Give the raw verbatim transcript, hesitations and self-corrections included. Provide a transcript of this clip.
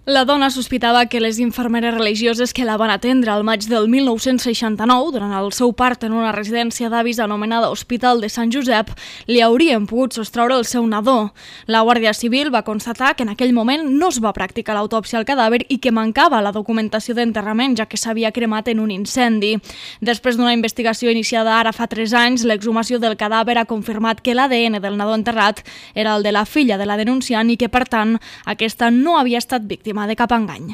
La dona sospitava que les infermeres religioses que la van atendre al maig del mil nou-cents seixanta-nou, durant el seu part en una residència d'avis anomenada Hospital de Sant Josep, li haurien pogut sostreure el seu nadó. La Guàrdia Civil va constatar que en aquell moment no es va practicar l'autòpsia al cadàver i que mancava la documentació d'enterrament, ja que s'havia cremat en un incendi. Després d'una investigació iniciada ara fa tres anys, l'exhumació del cadàver ha confirmat que l'A D N del nadó enterrat era el de la filla de la denunciant i que, per tant, aquesta no havia estat víctima de cap engany.